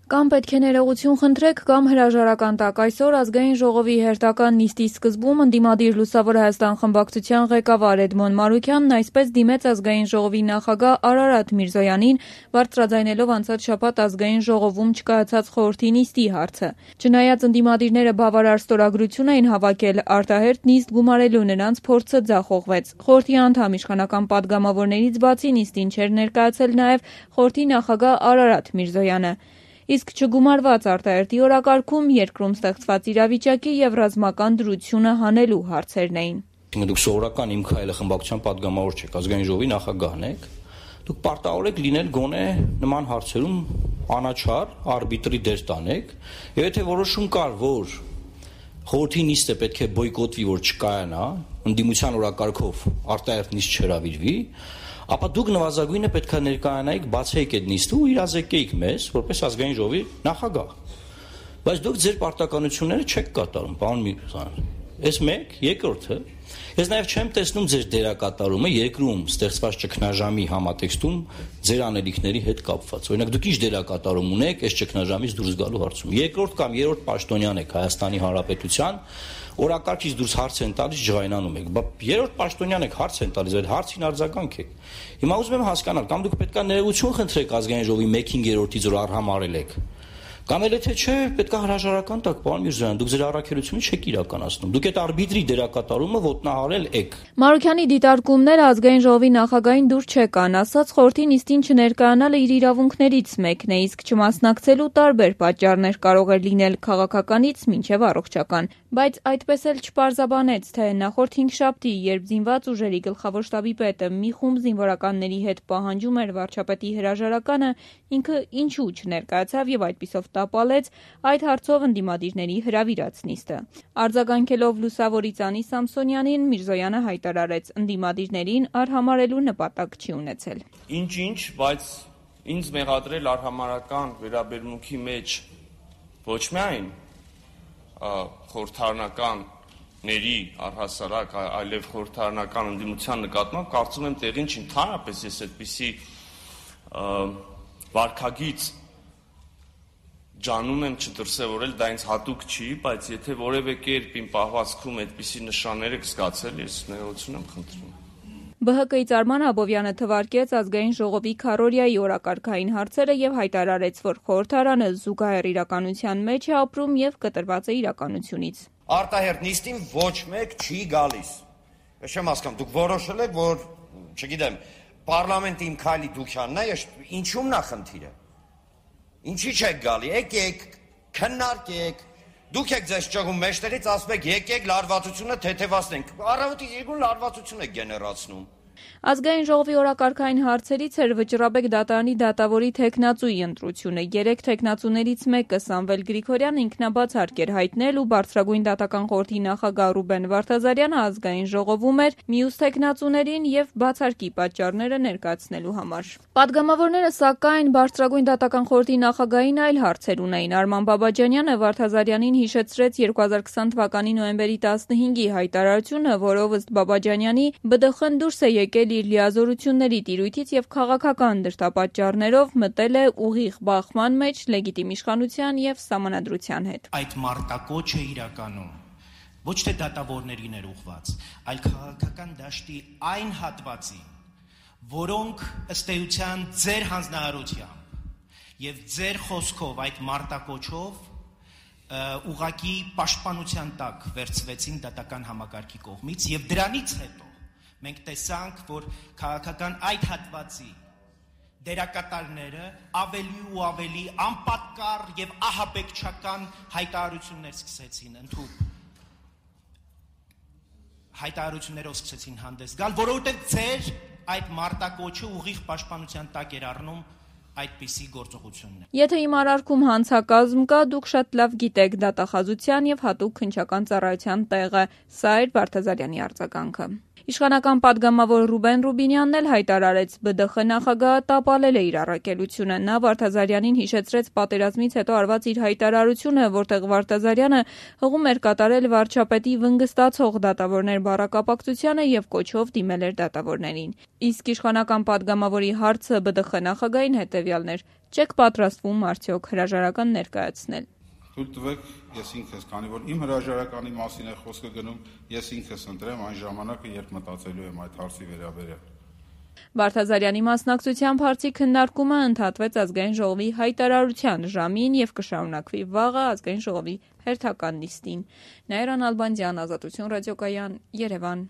Կամ պետք է ներողություն խնդրեք, կամ հրաժարական տակ։ Այսօր ազգային ժողովի հերթական նիստի սկզբում ընդդիմադիր Լուսավոր Հայաստան խմբակցության ղեկավար Էդմոն Մարուքյանն այսպես դիմեց ազգային ժողովի նախագահ Արարատ Միրզոյանին, բարձրաձայնելով անցած շաբաթ ազգային ժողովում չկայացած խորհրդի նիստի հարցը։ Չնայած ընդդիմադիրները բավարար ստորագրություն էին հավաքել, արտահերթ նիստ գումարելու նրանց փորձը ձախողվեց։ Խորհրդի անդամ իշխանական պատգամավորներից բացի նիստին չէր ներկայացել նաև խորհրդի նախագահ Արարատ Միրզոյանը։ Իսկ չգումարված արտահերթի օրակարգում երկրում ստեղծված իրավիճակի եւ ռազմական դրությունը հանելու հարցերն էին։ Դուք սովորական իմ քայլը խմբակցության պատգամավոր չեք, ազգային ժողովի նախագահն եք։ Դուք պարտավոր եք լինել գոնե նման հարցերում անաչառ, արբիտրի դեր տանեք, եւ եթե որոշում կար, որ խորհրդի նիստը պետք է բոյկոտվի, որ չկայանա, ընդդիմության օրակարգով արտահերթ նիստ չհրավիրվի, ապա դուք նվազագույնը պետք է ներկայանայիք, բացեիք այդ նիստը ու իրազեկեիք մեզ, որպես ազգային ժողովի նախագահ։ Բայց դուք ձեր պարտականությունները չեք կատարում, պարոն Միրզոյան։ Այս մեկ, երկրորդը, ես նաև չեմ տեսնում ձեր դերակատարումը երկրում ստեղծված ճգնաժամի համատեքստում ձեր անելիքների հետ կապված։ Օրինակ դուք ինչ դերակատարում ունեք այս ճգնաժամից դուրս գալու հարցում։ Երկրորդ կամ երրորդ պաշտոնյան եք Հայաստանի Հանրապետության, օրակարգից դուրս հարց են տալիս, ջղայնանում եք։ Բա երրորդ պաշտոնյան եք, հարց են տալիս, այդ հարցին արձագանք եք։ Հիմա ուզում եմ հասկանալ, կամ դուք պետք է ներողություն խնդրեք ազգային ժողովի 1/5-ից, որ արհամարել եք։ Կամ էլ եթե չէ, պետք է հրաժարական տաք, պարոն Միրզոյան, դուք ձեր առաքելությունը չեք իրականացնում։ Դուք այդ արբիտրի դերակատարումը ոտնահարել եք։ Մարուքյանի դիտարկումները ազգային ժողովի նախագահին դուր չեկան, ասաց խորհրդի նիստին չներկայանալը իր իրավունքներից մեկն է, իսկ չմասնակցելու տարբեր պատճառներ կարող էր լինել քաղաքականից մինչև առողջական։ Բայց այդպես էլ չպարզաբանեց, թե նախորդ հինգշաբթի, երբ զինված ուժերի գլխավոր շտաբի պետը մի խումբ զինվորականների հետ պահանջում էր վարչապետի հրաժարականը, ինքը ինչու չներկայացավ եւ այդպիսով տապալեց այդ հարցով ընդդիմադիրների հրավիրած նիստը։ Արձագանքելով Լուսավորի Ծանի Սամսոնյանին, Միրզոյանը հայտարարեց, ընդդիմադիրներին արհամարելու նպատակ չի ունեցել։ Ինչ, բայց ինձ մեղադրել արհամարական վերաբերմունքի մեջ ոչ միայն խորհրդարանականների առհասարակ, այլև խորհրդարանական ընդդիմության նկատմամբ կարծում եմ տեղին չի, ընդհանրապես ես այդպիսի վարքագիծ ջանում եմ չդրսևորել, դա ինձ հատուկ չի, բայց եթե որևէ կերպ իմ պահվածքում այդպիսի նշաններ եք զգացել, ես ներողություն եմ խնդրում։ ԲՀԿ-ից Արման Աբովյանը թվարկեց ազգային ժողովի քառօրյայի օրակարգային հարցերը եւ հայտարարեց, որ խորհրդարանը զուգահեռ իրականության մեջ է ապրում եւ կտրված է իրականությունից։ Արտահերթ նիստին ոչ մեկ չի գալիս։ Ես չեմ հասկանում, դուք որոշել եք, որ, չգիտեմ, պարլամենտի իմ քայլի դուքյանն է, ինչու՞մն է խնդիրը։ Ինչի՞ չեք գալի, եկեք, քննարկեք, դուք եք ձեզ ճղում մեջտեղից, ասում եք եկեք լարվածությունը թեթևացնենք, առավոտից երկուն լարվածություն եք գեներացնում։ Ազգային ժողովի օրակարգային հարցերից էր Վճռաբեկ դատարանի դատավորի թեկնածուի ընտրությունը։ 3 թեկնածուներից մեկը Սամվել Գրիգորյանը ինքնաբաց հարկ էր հայտնել ու բարձրագույն դատական խորհրդի նախագահ Ռուբեն Վարդազարյանը ազգային ժողովում էր մյուս թեկնածուներին եւ բացարկի պատճառները ներկայացնելու համար։ Պատգամավորները սակայն բարձրագույն դատական խորհրդի նախագահին այլ հարցեր ունեին։ Արման Բաբաջանյանը Վարդազարյանին հիշեցրեց 2020 թվականի նոյեմբերի 15-ի հայտարարությունը, որով ըստ Բաբաջանյանի ԲԴԽ-ն դուրս է եկել իր լիազորությունների տիրույթից եւ քաղաքական դրդապատճառներով մտել է ուղիղ բախման մեջ լեգիտիմ իշխանության եւ սահմանադրության հետ։ Այդ մարտակոչը իրականում ոչ թե դատավորներին էր ուղղված, այլ քաղաքական դաշտի այն հատվածին, որոնք ըստ էության ձեր հանձնարարությամբ եւ ձեր խոսքով այդ մարտակոչով ուղղակի պաշտպանության տակ վերցվեցին դատական համակարգի կողմից եւ դրանից հետո մենք տեսանք, որ քաղաքական այդ հատվածի դերակատարները ավելի ու ավելի անպատկառ եւ ահաբեկչական հայտարարություններ սկսեցին հայտարարություններով սկսեցին հանդես գալ, որովհետեւ ձեր այդ մարտակոչը ուղիղ պաշտպանության տակ էր առնում այդպիսի գործողություններ։ Եթե իմ արարքում հանցակազմ կա, դուք շատ լավ գիտեք դատախազության եւ հատուկ քննչական ծառայության տեղը, սա էր Վարդազարյանի արձագանքը։ Իշխանական պատգամավոր Ռուբեն Ռուբինյանն էլ հայտարարեց, ԲԴԽ նախագահը տապալել է իր առաքելությունը։ Նա Վարդազարյանին հիշեցրեց պատերազմից հետո արված իր հայտարարությունը, որտեղ Վարդազարյանը հղում էր կատարել վարչապետի վնգստացող դատավորներ բառակապակցությանը եւ կոչով դիմել էր դատավորներին։ Իսկ իշխանական պատգամավորի հարցը ԲԴԽ նախագահին հետեւյալն էր. Չեք պատրաստվում արդյոք հրաժարական ներկայացնել։ Թույլ տվեք, ես ինքս, քանի որ իմ հրաժարականի մասին է խոսքը գնում, ես ինքս ընտրեմ այն ժամանակը, երբ մտածելու եմ այդ հարցի վերաբերյալ։ Վարդազարյանի մասնակցությամբ հարցի քննարկումը ընդհատվեց ազգային ժողովի հայտարարության ժամին և կշարունակվի վաղը ազգային ժողովի հերթական նիստին։ Նաիրա Նալբանդյան, Ազատություն ռադիոկայան, Երևան։